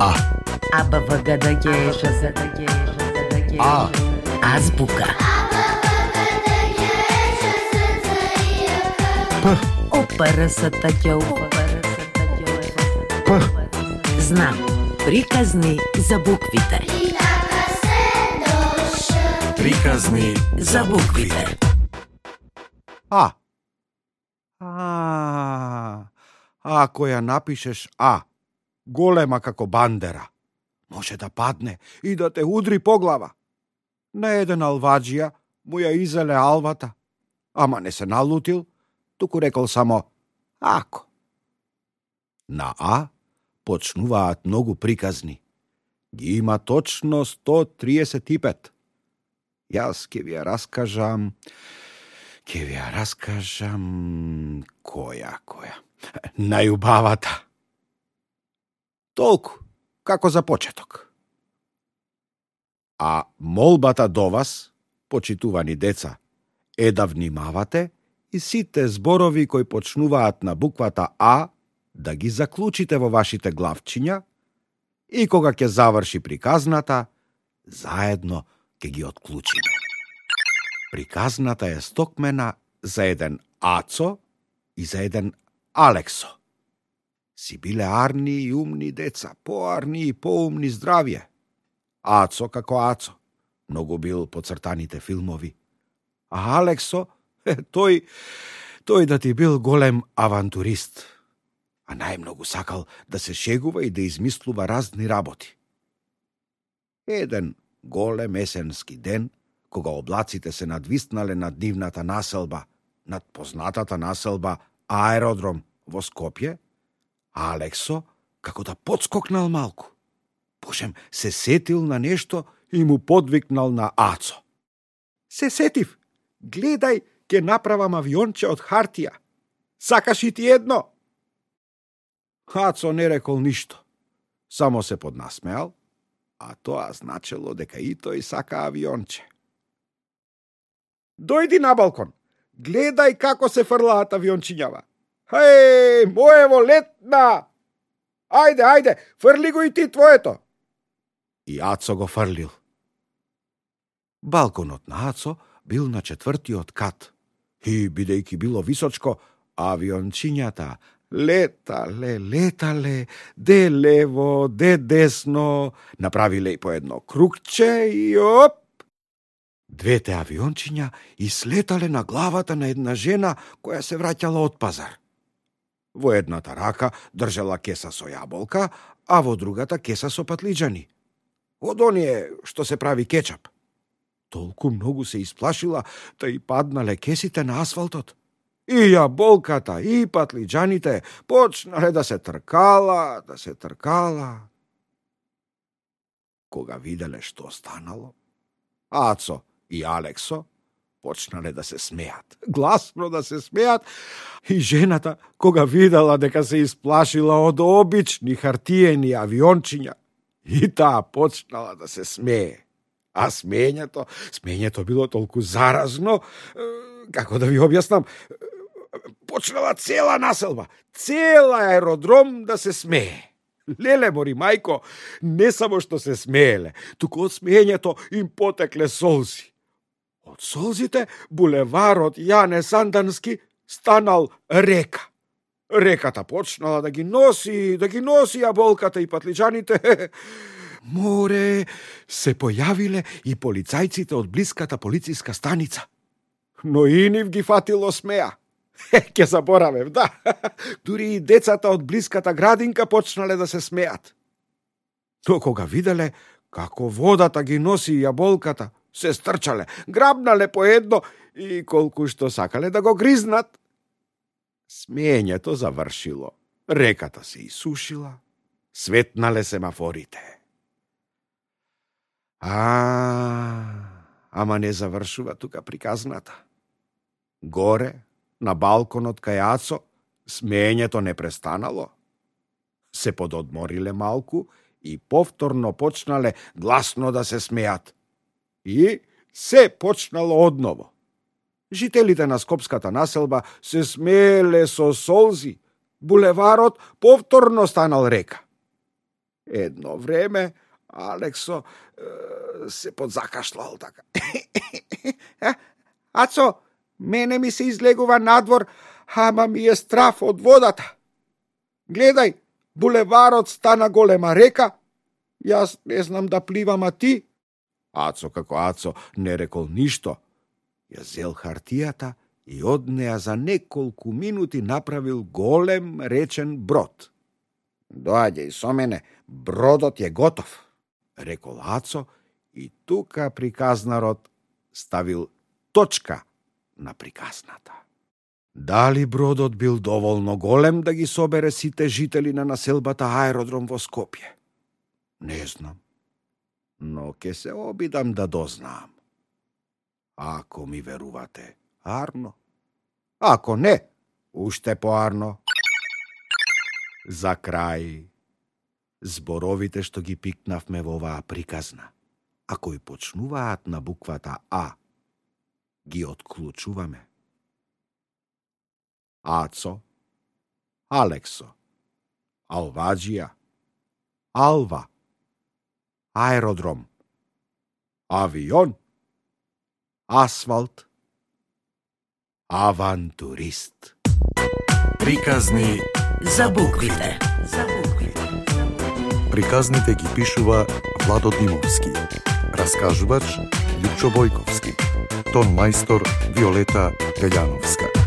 А. А. Азбука. П. П. Знам. Приказни за буквите. Приказни За буквите. А. Ако ја напишеш А, голема како бандера, може да падне и да те удри по глава. На еден алваджија му ја изеле алвата, ама не се налутил, туку рекол само ако. На А почнуваат многу приказни. Ги има точно 135. Јас ќе ви ја раскажам која. Најубавата. Толку, како за почеток. А молбата до вас, почитувани деца, е да внимавате и сите зборови кои почнуваат на буквата А да ги заклучите во вашите главчиња и кога ќе заврши приказната, заедно ќе ги отклучиме. Приказната е стокмена за еден Ацо и за еден Алексо. Си биле арни и умни деца, поарни и поумни здравје. Ацо како Ацо, многу бил по цртаните филмови. А Алексо, тој да ти бил голем авантурист. А најмногу сакал да се шегува и да измислува разни работи. Еден голем есенски ден, кога облаците се надвиснале над нивната населба, над познатата населба Аеродром во Скопје, Алексо, како да подскокнал малку. Божем, се сетил на нешто и му подвикнал на Ацо. Се сетив, гледај, ќе направам авионче од хартија. Сакаш и ти едно? Ацо не рекол ништо, само се поднасмеал, а тоа значело дека и тој сака авионче. Дојди на балкон, гледај како се фрлаат авиончињава. Моево летна! Ајде, фрли го и ти твоето! И Ацо го фрлил. Балконот на Ацо бил на 4-тиот кат и, бидејќи било височко, авиончињата летале, де лево, де десно, направиле и по едно кругче и оп! Двете авиончиња ислетале на главата на една жена која се враќала од пазар. Во едната рака држала кеса со јаболка, а во другата кеса со патлиџани. Од оние што се прави кечап. Толку многу се исплашила, та и паднале кесите на асфалтот. И јаболката, и патлиџаните почнале да се тркала. Кога виделе што станало, Ацо и Алексо почнале да се смеат, гласно да се смеат, и жената, кога видела дека се исплашила од обични хартиени авиончиња, и таа почнала да се смее. А смењето било толку заразно, како да ви објаснам, почнала цела населба, цела аеродром да се смее. Леле мори мајко, не само што се смееле, туку од смењето им потекле солзи. Од солзите булеварот Јане Сандански станал река. Реката почнала да ги носи јаболката и патлиџаните. Море, се појавиле и полицајците од блиската полициска станица. Но и нив ги фатило смеа. Ке заборавев, да. Дури и децата од блиската градинка почнале да се смеат. Но кога виделе како водата ги носи јаболката, се стрчале, грабнале по едно и колку што сакале да го гризнат. Смењето завршило, реката се исушила, светнале семафорите. Ама не завршува тука приказната. Горе, на балконот кај Ацо, смењето не престанало. Се пододмориле малку и повторно почнале гласно да се смеат. И се почнало одново. Жителите на скопската населба се смееле со солзи. Булеварот повторно станал река. Едно време Алексо се подзакашлал така. Ацо, мене ми се излегува надвор, ама ми е страф од водата. Гледај, булеварот стана голема река. Јас не знам да пливам, а ти? Ацо како Ацо не рекол ништо. Ја зел хартијата и од неа за неколку минути направил голем речен брод. Доаѓај со мене, бродот е готов, рекол Ацо и тука приказнарот ставил точка на приказната. Дали бродот бил доволно голем да ги собере сите жители на населбата аеродром во Скопје? Не знам, но ке се обидам да дознаам. Ако ми верувате, арно. Ако не, уште поарно. За крај, зборовите што ги пикнавме во оваа приказна, а кои почнуваат на буквата А, ги отклучуваме. Ацо, Алексо, Алваџија, Алва, аеродром, авион, асфалт, авантурист. Приказни За буквите. Приказните ги пишува Владо Димовски. Раскажувач Лјупчо Бојковски. Тон мајстор Виолета Телјановска.